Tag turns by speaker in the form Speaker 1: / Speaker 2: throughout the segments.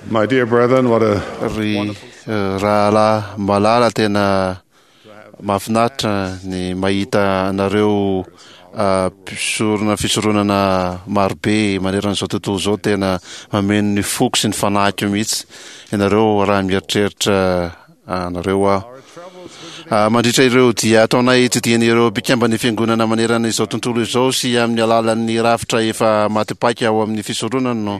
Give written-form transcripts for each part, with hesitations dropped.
Speaker 1: My dear brethren, what a
Speaker 2: Ry rahalahy malala, tena mahafinaritra ny mahita anareo mpisorona fisoronana marobe manerana izao tontolo izao. Tena mameno ny foko sy ny fanahiko mihitsy ianareo raha mieritreritra anareo aho. Mandritra ireo dia ataonay tsidihan'ireo mpikamban'ny fiangonana manerana izao tontolo izao sy amin'ny alalan'ny rafitra efa maty paika ao amin'ny fisoronana no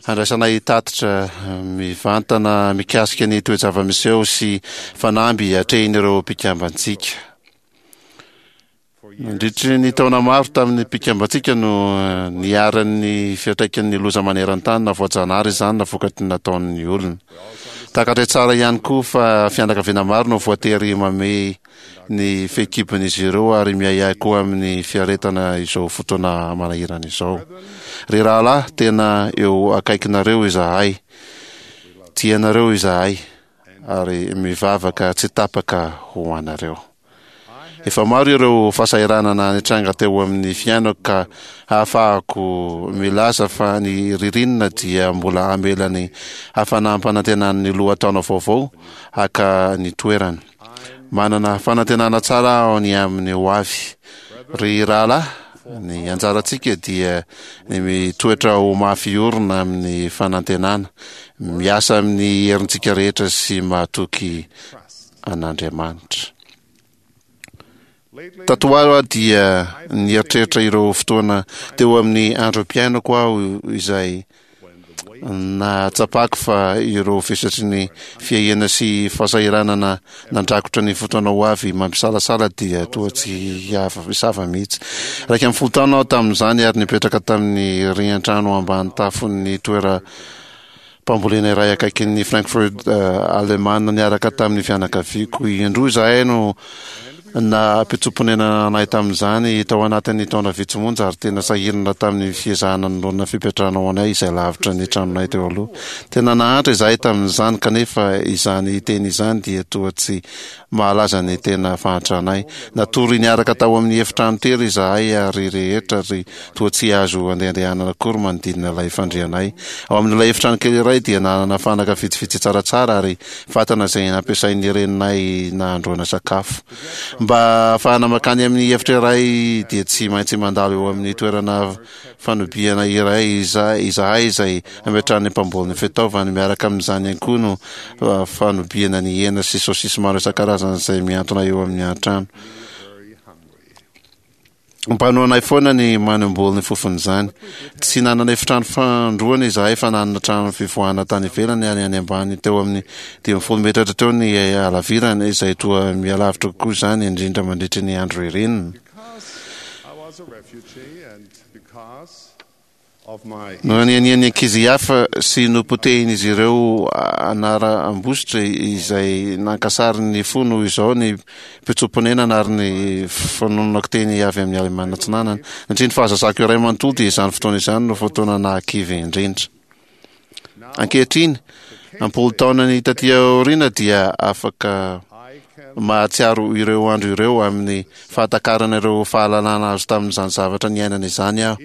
Speaker 2: handraisanay tatitra mivantana mikasika ny toe-java-miseho sy fanamby atrehin'ireo mpikambantsika. Nandritry ny taona maro tamin'ny mpikambantsika no niharan'ny fiantraikan'ny loza maneran-tany na voajanahary izany na vokatry ny nataon'ny olona. Takatray tsara ihany koa fa fianakaviana maro no voatery mamehy ny fehikibon'izy ireo ary miahiahy koa amin'ny fiaretana izao fotoana manahirana izao. Ry rahalahy, tena eo akaikinareo izahay. Tia anareo izahay ary mivavaka tsy tapaka ho anareo. Efa maro ireo fahasahiranana nitranga teo amin'ny fiainako ka ahafahako milaza fa ny ririnina dia mbola hamela ny hafanam-panantenan'ny lohataona vaovao haka ny toerany. Manana fanantenana tsara aho ny amin'ny ho avy. Ry rahalahy, ny anjarantsika dia ny mitoetra ho mafy orina amin'ny fanantenana, miasa amin'ny herintsika rehetra sy mahatoky an'Andriamanitra. Tato ho aho dia nieritreritra ireo fotoana teo amin'ny androm-piainako aho izay nahatsapako fa ireo vesatry ny fiahiana sy fahasahiranana nandrakotra ny fotoana ho avy mampisalasala dia toa tsy hisava mihitsy. 11 taona aho tamin'izany ary nipetraka tamin'ny rian-trano ambany tafon'ny toera Mpambolena iray akaikin'i Frankfurt, Alemana, niaraka tamin'ny fianakaviako. Indroa izahay no nampitsoa-ponenana anay tamin'izany tao anatin'ny taona vitsy monja, ary tena sahirana tamin'ny fiezahana nanorina fipetrahana ho anay izay lavitra ny tranonay teo aloha. Tena nahantra izahay tamin'izany, kanefa izany teny izany dia toa tsy mahalaza ny tena fahantranay. Natory niaraka tao amin'ny efitrano tery izahay ary rehetra ry toa tsy azo andehandehanana akory manodidina ilay fandrianay. Ao amin'ilay efitrano kely iray dia nanana fanaka vitsivitsy tsaratsara ary fatana izay nampiasain'ny reninay nahandroana sakafo. Mba hahafahana mankany amin'ny efitra iray dia tsy maintsy mandalo eo amin'ny toerana fanobiana iray izahay izay ametrahan'ny mpamboly ny fitaovany. Miaraka amin'izany ihany koa no fanobiana ny hena sy saosisy maro isan-karazany izay mihantona eo amin'ny an-trano. Mpanohanay foana ny manimboly ny fofon'izany. Tsy nanana efitrano fandroana izahay fa nanana trano fivoahana tany ivelany ary any ambany teo amin'ny 50 metatra teo ny halavirany izay toa mihalavitra kokoa izany indrindra mandritry ny andro ririnina. Nohanianian'ny ankizy hafa sy nopotehin'izy ireo anaram-bositra izay nankasary ny fo noho izao ny mpitsoa-ponenana ary ny fanononako teny avy amin'ny Alemana Atsinanana. Nandritry ny fahazazako iray manontolo dia izany fotoana izany no fotoana nahakivy indrindra. Ankehitriny, am-polo taonany taty aoriana dia afaka mahatsiaro ireo andro ireo amin'ny fahatakarana ireo fahalalana azo tamin'izany zavatra niainana izany aho.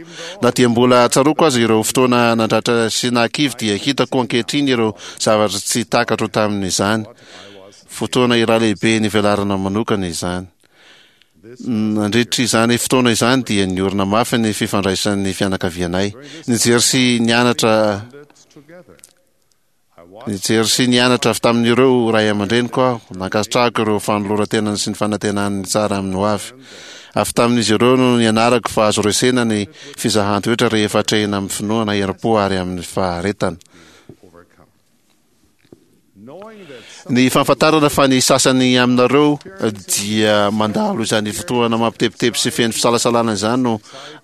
Speaker 2: Na dia mbola tsaroako aza ireo fotoana nandratra sy nahakivy dia hitako ankehitriny ireo zavatra tsy takatro tamin'izany. Fotoana iray lehibe nivelarana manokana izany. Nandritra izany fotoana izany dia niorina mafy ny fifandraisan'ny fianakavianay. Nijery sy nianatra Nijery sy nianatra avy tamin'ireo ray aman-dreniko aho. Nankasitrahako ireo fanoloran-tenany sy ny fanantenany ny tsara amin'ny hoavy. Avy tamin'izy ireo no nianarako fa azo resena ny fizahan-toetra rehefa atrehina amin'ny finoana, herim-po ary amin'ny faharetana. Ny fahafantarana fa ny sasany aminareo dia mandalo izany fotoana mampitebiteby sy feno fisalasalana izany no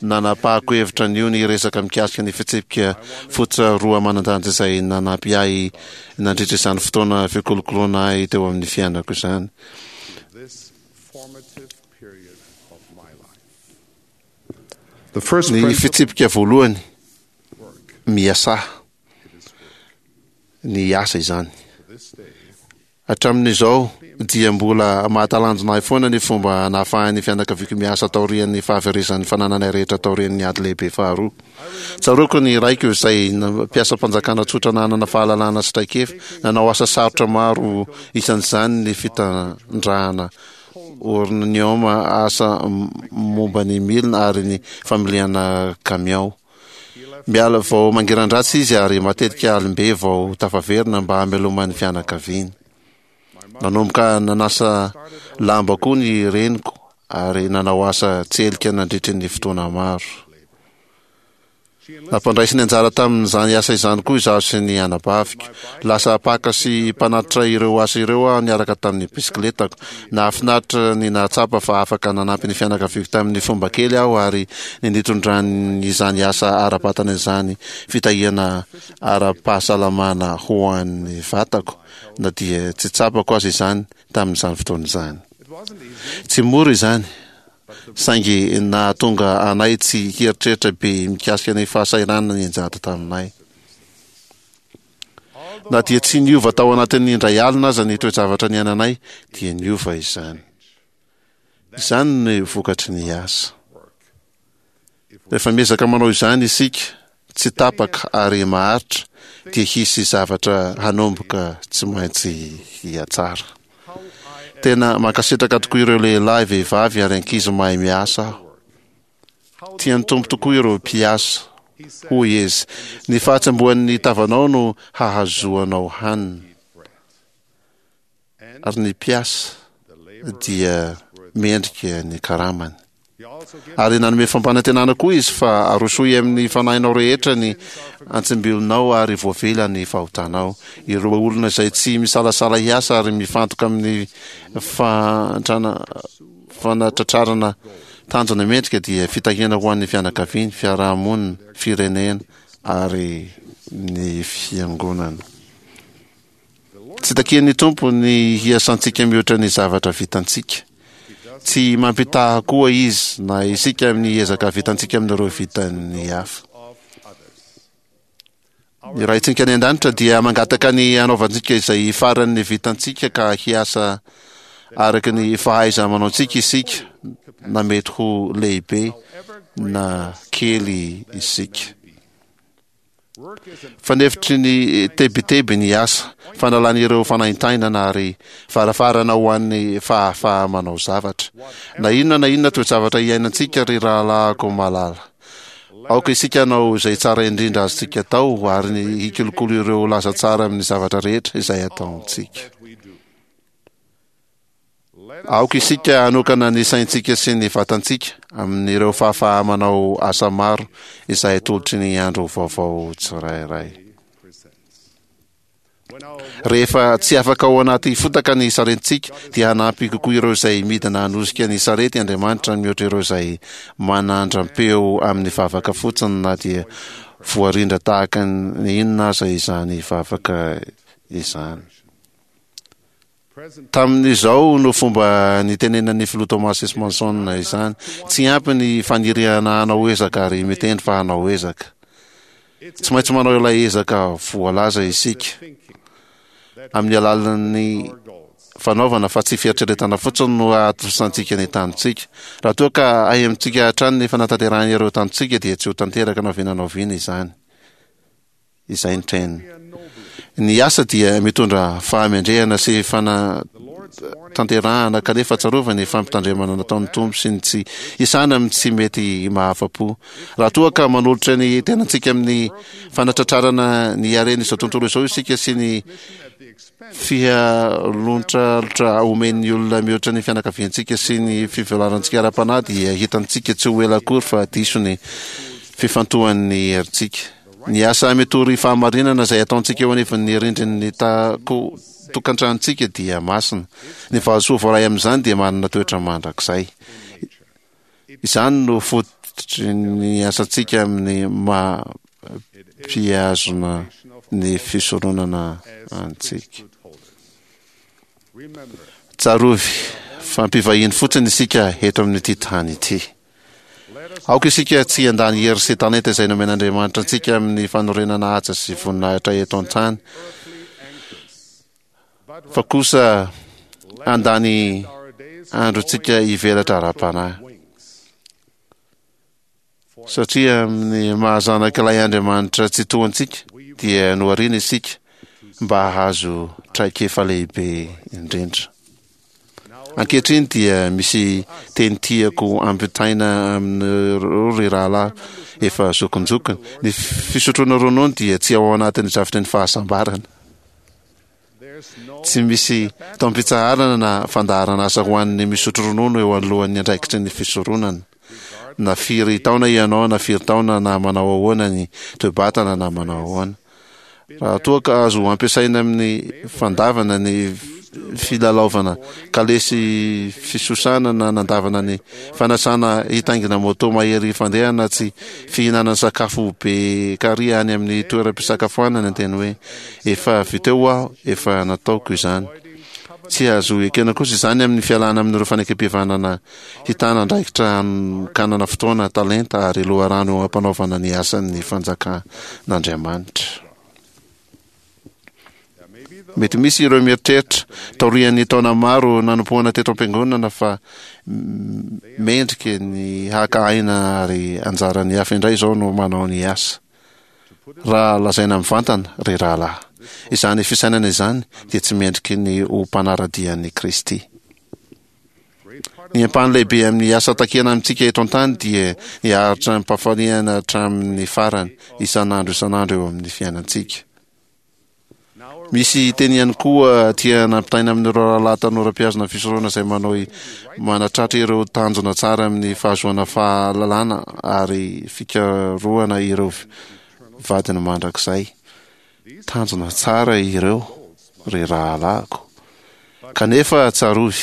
Speaker 2: nanapahako hevitra anio ny hiresaka mikasika ny fitsipika fototra roa manan-danja izay nanampy ahy nandritra izany fotoana fikolokoloana ahy teo amin'ny fiainako izany. Ny fitsipika voalohany, miasà. Ny asa izany. Hatramin'izao dia mbola mahatalanjona ahy foana ny fomba nahafahan'ny fianakaviako miasa taorian'ny fahaverezan'ny fanananay rehetra taorian'ny Ady Lehibe Faharoa. Tsaroako ny raiko izay mpiasam-panjakana tsotra nanana fahalalana sy traikefa, nanao asa sarotra maro isan'izany ny fitandrahana ornioma, asa momba ny milina ary ny familiana kamiao. Miala vao mangiran-dratsy izy ary matetika alim-be vao tafaverina mba hamelomany fianakaviany. Nanomboka nanasa lamba koa ny reniko ary nanao asa tselika nandritry ny fotoana maro. Nampandraisiny anjara tamin'izany asa izany koa izaho sy ny anabaviko. Lasa mpaka sy mpanatitra ireo asa ireo aho niaraka tamin'ny bisikiletako. Nahafinaritra ny nahatsapa fa afaka nanampy ny fianakaviako tamin'ny fomba kely aho ary ny nitondran'izany asa ara-batana izany fitahiana ara-pahasalamana ho an'ny vatako, na dia tsy tsapako aza izany tamin'izany fotoana izany. Tsy mora izany, saingy nahatonga anay tsy hieritreritra be mikasika ny fahasahiranana nianjady taminay. Na dia tsy niova tao anatin'ny indray alina aza ny toe-javatra niainanay, dia niova izany. Izany no vokatry ny asa. Rehefa miezaka manao izany isika, tsy tapaka ary maharitra, dia hisy zavatra hanomboka tsy maintsy hihatsara. Tena mankasitraka tokoa ireo lehilahy, vehivavy ary ankizy mahay miasa aho. Tian'ny Tompo tokoa ireo mpiasa. Hoy Izy, Ny fahatsembohan'ny tavanao no hahazoanao hanina. Ary ny mpiasa dia mendrika ny karamany. Ary nanome fampanantenana koa Izy fa arosoy amin'ny fanahinao rehetra ny antsimbilonao ary voavela ny fahotanao. Ireo olona izay tsy misalasala hiasa ary mifantoka amin'ny fantrana fanatratrarana tanjona mendrika dia fitahiana ho an'ny fianakaviany, fiarahamonina, firenena ary ny fiangonana. Tsy takian'ny Tompo ny hiasantsika mihoatra ny zavatra vitantsika. Tsy mampitaha koa Izy na isika amin'ny ezaka vitantsika amin'ireo vitan'ny hafa. Ny Raintsika any An-danitra dia mangataka ny hanaovantsika izay faran'ny vitantsika ka hiasa araka ny fahaiza-manaontsika isika, na mety ho lehibe na kely isika. Fanefitry ny tebiteby ny asa, fanalana ireo fanaintainana ary varavarana ho an'ny fahafaha-manao zavatra. Na inona na inona toe-javatra iainantsika ry rahalahiko malala, aoka isika hanao izay tsara indrindra azontsika atao ary ny hikolokolo ireo laza tsara amin'ny zavatra rehetra izay ataontsika. Aoka isika hanokana ny saintsika sy ny vatantsika amin'ireo fahafaha-manao asa maro izay atolotry ny andro vaovao tsirairay. Rehefa tsy afaka ao anaty fotaka ny saretintsika, dia hanampy kokoa ireo izay midina hanosika ny sarety Andriamanitra mihoatra ireo izay manandram-peo amin'ny vavaka fotsiny na dia voarindra tahaka ny inona aza izany vavaka izany. Tamin'izao no fomba nitenenan'ny Filoha Thomas S. Monson izany, Tsy ampy ny faniriana hanao ezaka ary miteny fa hanao ezaka. Tsy maintsy manao ilay ezaka voalaza isika amin'ny alalan'ny fanaovana fa tsy fieritreretana fotsiny no hahatosantsika ny tanjontsika. Raha toa ka ahemotsika hatrany ny fanatanterahana ireo tanjontsika dia tsy ho tanteraka na oviana na oviana izany. Izay ny train. Ny asa dia mitondra fahamendrehana sy fanatanterahana kanefa tsarovy ny fampitandremana nataon'ny Tompo sy ny tsy hisana amin'ny tsy mety mahafa-po. Raha toa ka manolotra ny tenantsika amin'ny fanatratrarana ny haren'izao tontolo izao isika sy ny fihalontralotra omen'ny olona mihoatra ny fianakaviantsika sy ny fivelarantsika ara-panahy dia hitantsika tsy ho ela akory fa diso ny fifantohan'ny herintsika. Ny asa mitory fahamarinana izay ataontsika eo anivon'ny rindrin'ny tokantranontsika dia masina. Ny valisoa voaray amin'izany dia manana toetra mandrakizay. Izany no fototry ny asantsika amin'ny maha mpihazona ny fisoronana antsika. Tsarovy fa mpivahiny fotsiny isika eto amin'ity tany ity. Aoka isika tsy handany hery sy talenta izay nomen'Andriamanitra antsika amin'ny fanorenana haja sy voninahitra eto an-tany. fa kosa handany androntsika hivelatra ara-panahy. Satria amin'ny maha zanak'ilay Andriamanitra Tsitoha antsika, dia nohariana isika mba hahazo traikefa lehibe indrindra. Ankehitriny dia misy teny tiako ampitaina aminareo ry rahalahy efa zokinjokiny. Ny fisotroana ronono dia tsy ao anatin'ny drafitry ny fahasambarana. Tsy misy taom-pitsaharana na fandaharan'asa ho an'ny misotro ronono eo anoloan'ny andraikitry ny fisoronana. Na firy taona ianao na firy taona na manao ahoana ny toe-batana na manao ahoana. Raha toa ka azo ampiasaina amin'ny fandavana ny filalaovana kalesy fisosana na nandavana ny fanasana hitaingina moto mahery fandeha na tsy fihinanana sakafo be kary any amin'ny toeram-pisakafoanana ny teny hoe Efa vita eo aho, efa nataoko izany. Tsy azo ekena kosa izany amin'ny fialana amin'ireo fanekempihavanana hitana andraikitra hanokanana fotoana, talenta ary loharano eo am-panaovana ny asan'ny fanjakan'Andriamanitra. Mety misy ireo mieritreritra, taorian'ny taona maro nanompoana teto am-piangonana fa mendrika ny haka aina ary anjaran'ny hafa indray izao no manao ny asa. Raha lazaina mivantana, ry rahalahy, izany fisainana izany dia tsy mendriky ny ho mpanara-dia an'i Kristy. Ny ampahany lehibe amin'ny asa takiana amintsika eto an-tany dia ny haharitra amim-pahafaliana hatramin'ny farany, isan'andro isan'andro eo amin'ny fiainantsika. Misy teny ihany koa tiana ampitaina amin'ireo rahalahy tanora mpihazona fisoronana izay manao manatratra ireo tanjona tsara amin'ny fahazoana fahalalana ary fikarohana ireo vadiny mandrakizay. Tanjona tsara ireo, ry rahalahiko. Kanefa tsarovy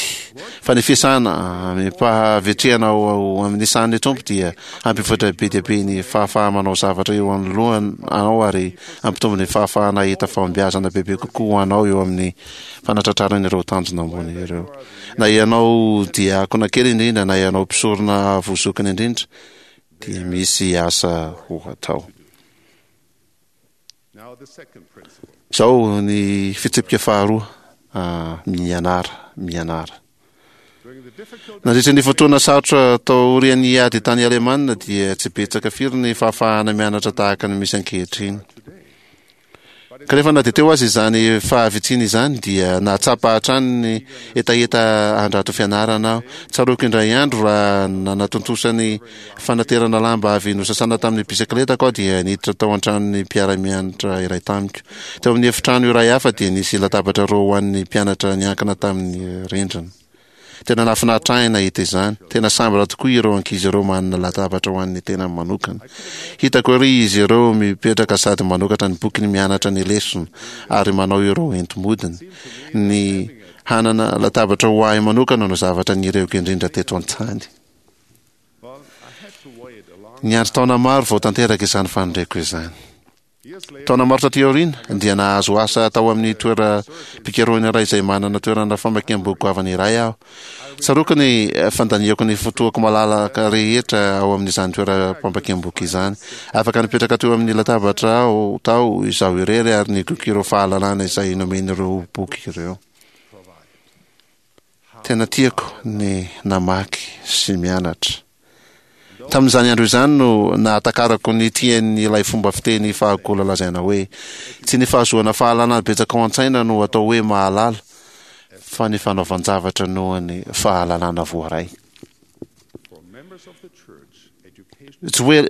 Speaker 2: fa ny fiasana amim-pahavitrihana ao amin'ny sahan'ny Tompo dia hampivoatra be dia be ny fahafaha-manao zavatra eo anoloanao ary hampitombo ny fahafahana hahita fahombiazana bebe kokoa ho anao eo amin'ny fanatratrarana ireo tanjona ambony ireo. Na ianao diakona kely indrindra na ianao mpisorona avo zokiny indrindra dia misy asa ho atao. Izao ny fitsipika faharoa, mianara, mianara. Nandritra ny fotoana sarotra taorian'ny ady tany Alemana dia tsy betsaka firy ny fahafahana mianatra tahaka ny misy ankehitriny. Kanefa na dia teo aza izany fahavitsiana izany dia nahatsapa hatrany ny hetaheta handrato fianarana aho. Tsaroako indray andro raha nanatontosa ny fanaterana lamba avy nosasana tamin'ny bisikletako aho dia niditra tao an-tranon'ny mpiara-mianatra iray tamiko. Teo amin'ny efitrano iray hafa dia nisy latabatra roa ho an'ny mpianatra niankina tamin'ny rindrina. Tena nahafinaritra ahy nahita izany. Tena sambatra tokoa ireo ankizy ireo manana latabatra ho an'ny tenany manokana. Hitako ery izy ireo mipetraka sady manokatra ny bokiny mianatra ny lesona ary manao ireo enti-modiny. Ny hanana latabatra ho ahy manokana no zavatra nirehoko indrindra teto an-tany. Niandry taona maro vao tanteraka izany faniriako izany. Taona maro taty aoriana, dia nahazo asa tao amin'ny toeram-pikarohana iray izay manana toerana famakiam-boky goavana iray aho. Tsaroako ny fandaniako ny fotoako malalaka rehetra ao amin'izany toeram-pamakiam-boky izany. Afaka nipetraka teo amin'ny latabatra aho tao izaho irery ary nigoka ireo fahalalana izay nomen'ireo boky ireo. Tena tiako ny namaky sy mianatra. Tamin'izany andro izany no nahatakarako ny tian'ilay fomba fiteny fahagola lazaina hoe, Tsy ny fahazoana fahalalana betsaka ao an-tsaina no atao hoe mahalala, fa ny fanaovan-javatra noho ny fahalalana voaray. Tsy hoe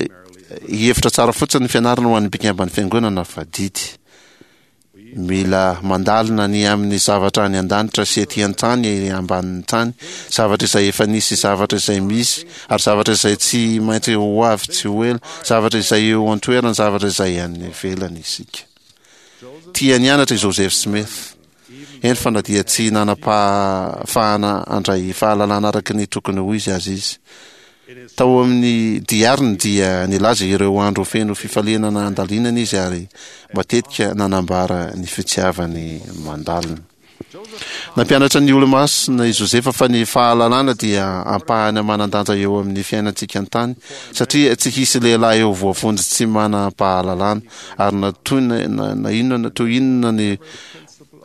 Speaker 2: hevitra tsara fotsiny ny fianarana ho an'ny mpikamban'ny fiangonana fa didy. Mila mandalina ny amin'ny zavatra any an-danitra sy ety an-tany ambanin'ny tany, zavatra izay efa nisy, zavatra izay misy, ary zavatra izay tsy maintsy ho avy tsy ho ela, zavatra izay eo an-toerana, zavatra izay any ivelany isika. Tia nianatra i Joseph Smith, eny fa na dia tsy nanam-pahafahana handray fahalalana araka ny tokony ho izy aza izy. Tao amin'ny diariny dia nilaza ireo andro feno fifaliana nandalinana izy ary matetika nanambara ny fitiavany mandalina. Nampianatra ny Olomasina i Josefa fa ny fahalalana dia ampahany manan-danja eo amin'ny fiainantsika an-tany satria tsy hisy lehilahy eo voavonjy tsy manam-pahalalana ary na toy na inona toy inona ny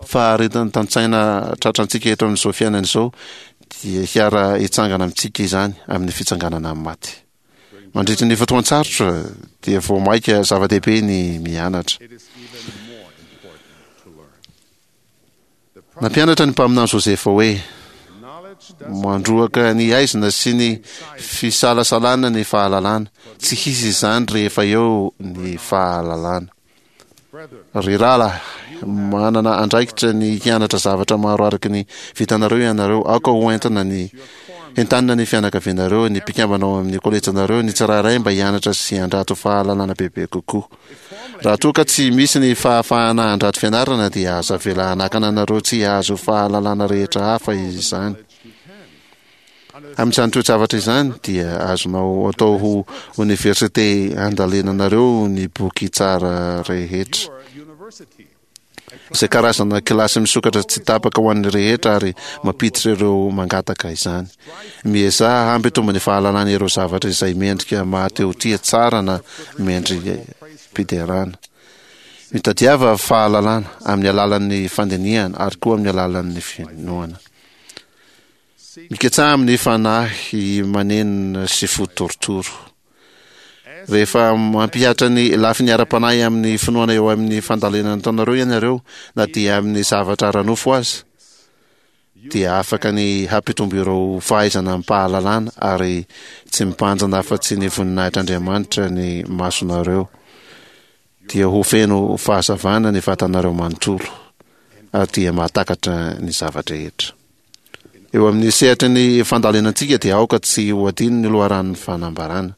Speaker 2: faharetan-tsaina tratrantsika eto amin'izao fiainana izao dia hiara-hitsangana amintsika izany amin'ny fitsanganana amin'ny maty. Mandritra ny fotoan-tsarotra dia vao mainka zava-dehibe ny mianatra. Nampianatra ny mpaminany Josefa hoe, Mandroaka ny haizina sy ny fisalasalana ny fahalalana, tsy hisy izany rehefa eo ny fahalalana. Ry rahalahy, manana andraikitra ny hianatra zavatra maro araka ny vitanareo ianareo. Aoka ho entina ny entanina ny fianakavianareo, ny mpikambana ao amin'ny kolejinareo, ny tsirairay mba hianatra sy handrato fahalalana bebe kokoa. Raha toa ka tsy misy ny fahafahana handrato fianarana dia aza avela hanakana anareo tsy hahazo fahalalana rehetra hafa izany. Amin'izany toe-javatra izany dia azonao atao ho oniversite handalinanareo ny boky tsara rehetra. Izay karazana kilasy misokatra tsy tapaka ho an'ny rehetra ary mampiditra ireo mangataka izany. Miezaha hampitombo ny fahalalana ireo zavatra izay mendrika maha-te-ho tia tsara na mendri-piderana. Mitadiava fahalalana amin'ny alalan'ny fandinihana ary koa amin'ny alalan'ny finoana. Miketsaha amin'ny fanahy manenina sy fo torotoro. Rehefa mampihatra ny lafiny ara-panahy amin'ny finoana eo amin'ny fandalinana ataonareo ianareo, na dia amin'ny zavatra ara-nofo aza, dia afaka ny hampitombo ireo fahaizana amim-pahalalana ary tsy mibanjina afa-tsy ny voninahitr'Andriamanitra ny masonareo. Dia ho feno fahazavana ny vatanareo manontolo ary dia mahatakatra ny zava-drehetra. Eo amin'ny sehatry ny fandalinantsika dia aoka tsy ho adino ny loharanon'ny fanambarana.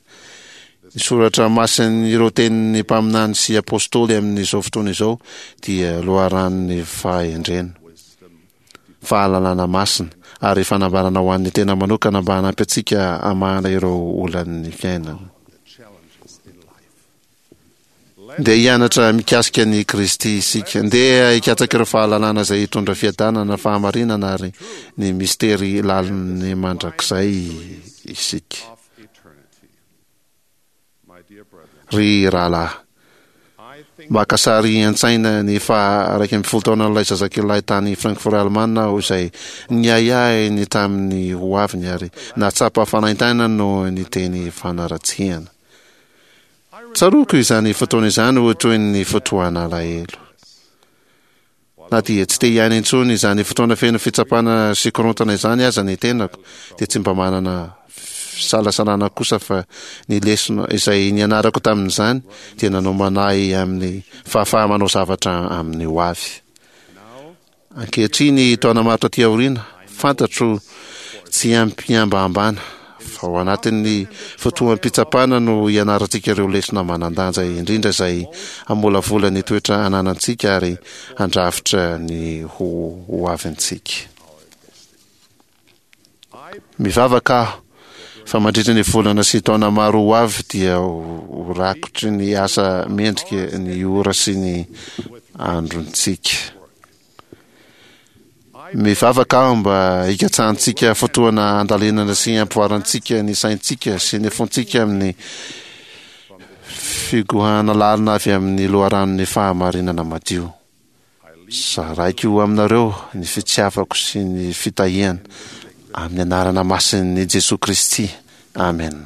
Speaker 2: Ny soratra masin'ireo tenin'ny mpaminany sy apostoly amin'izao fotoana izao dia loharanon'ny fahendrena, fahalalana masina ary fanambarana ho an'ny tena manokana mba hanampy antsika hamahana ireo olan'ny fiainana. Ndeha hianatra mikasika an'i Kristy isika. Ndeha hikatsaka ireo fahalalana izay hitondra fiadanana, fahamarinana ary ny mistery lalin'ny mandrakizay isika. Ry rahalahy, maka sary an-tsaina ny faha 11 taonan'ilay zazakelilahy tany Frankfurt Alemana aho izay niahiahy ny tamin'ny hoaviny ary nahatsapa fanaintainana noho ny teny fanaratsiana. Tsaroako izany fotoana izany ho toy ny fotoan'alahelo. Na dia tsy te hiaina intsony izany fotoana feno fitsapana sy korontana izany aza ny tenako, dia tsy mba manana fisalasalana kosa fa ny lesona izay nianarako tamin'izany dia nanomana ahy amin'ny fahafaha-manao zavatra amin'ny hoavy. Ankehitriny, taona maro taty aoriana, fantatro tsy amim-pihambahambana fa ao anatin'ny fotoam-pitsapana no ianarantsika ireo lesona manan-danja indrindra izay hamolavola ny toetra ananantsika ary handrafitra ny ho hoavintsika. Mivavaka aho fa mandritra ny volana sy taona maro ho avy dia ho rakotry ny asa mendrika ny ora sy ny androntsika. Mivavaka aho mba hikatsahantsika fotoana handalinana sy hampivoarantsika ny saintsika sy ny fontsika amin'ny figohana lalina avy amin'ny loharanon'ny fahamarinana madio. Zaraiko aminareo ny fitiavako sy ny fitahiana amin'ny anarana masin'i Jesoa Kristy. Amena.